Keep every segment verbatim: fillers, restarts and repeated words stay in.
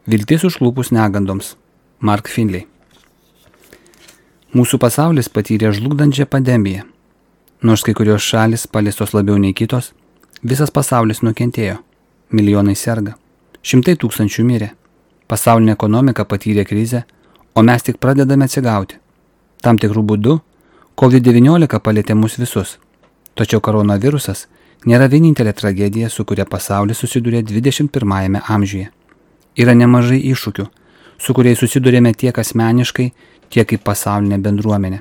Viltis užklupus negandoms. Mark Finley. Mūsų pasaulis patyrė žlugdančią pandemiją. Nors kai kurios šalis paliestos labiau nei kitos, visas pasaulis nukentėjo. Milijonai serga. Šimtai tūkstančių mirė. Pasaulinė ekonomika patyrė krizę, o mes tik pradedame atsigauti. Tam tikrų būdų kovid devyniolika palietė mus visus. Tačiau koronavirusas nėra vienintelė tragedija, su kuria pasaulis susidūrė dvidešimt pirmajame amžiuje. Yra nemažai iššūkių, su kuriais susidūrėme tiek asmeniškai, tiek kaip pasaulinė bendruomenė.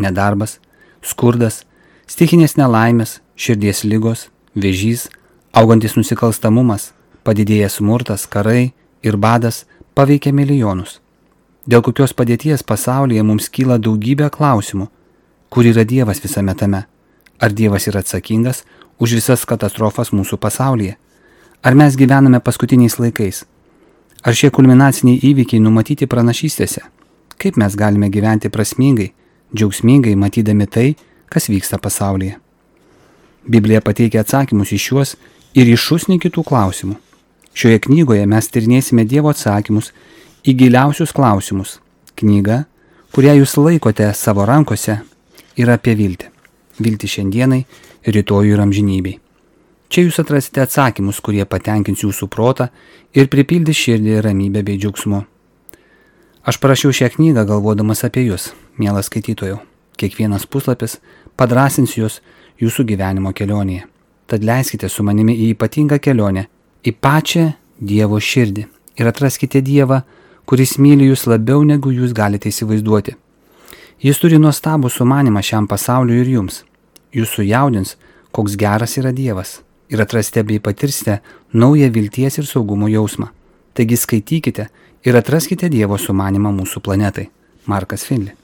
Nedarbas, skurdas, stichinės nelaimės, širdies ligos, vėžys, augantis nusikalstamumas, padidėjęs smurtas, karai ir badas paveikia milijonus. Dėl kokios padėties pasaulyje mums kyla daugybė klausimų. Kur yra Dievas visame tame? Ar Dievas yra atsakingas už visas katastrofas mūsų pasaulyje? Ar mes gyvename paskutiniais laikais? Ar šie kulminaciniai įvykiai numatyti pranašystėse? Kaip mes galime gyventi prasmingai, džiaugsmingai, matydami tai, kas vyksta pasaulyje? Biblija pateikia atsakymus į šiuos ir į šūsnį kitų klausimų. Šioje knygoje mes tyrinėsime Dievo atsakymus į giliausius klausimus. Knyga, kurią jūs laikote savo rankose, yra apie viltį. Viltį šiandienai, rytojui ir amžinybei. Čia jūs atrasite atsakymus, kurie patenkins jūsų protą ir pripildys širdį ramybę bei džiaugsmu. Aš parašiau šią knygą galvodamas apie jūs, mielas skaitytojau. Kiekvienas puslapis padrąsins jūs jūsų gyvenimo kelionėje. Tad leiskite su manimi į ypatingą kelionę, į pačią Dievo širdį ir atraskite Dievą, kuris myli jūs labiau negu jūs galite įsivaizduoti. Jis turi nuostabų sumanimą šiam pasauliu ir jums. Jūs sujaudins, koks geras yra Dievas ir atrasite bei patirsite naują vilties ir saugumo jausmą. Taigi skaitykite ir atraskite Dievo sumanimą mūsų planetai. Markas Finley.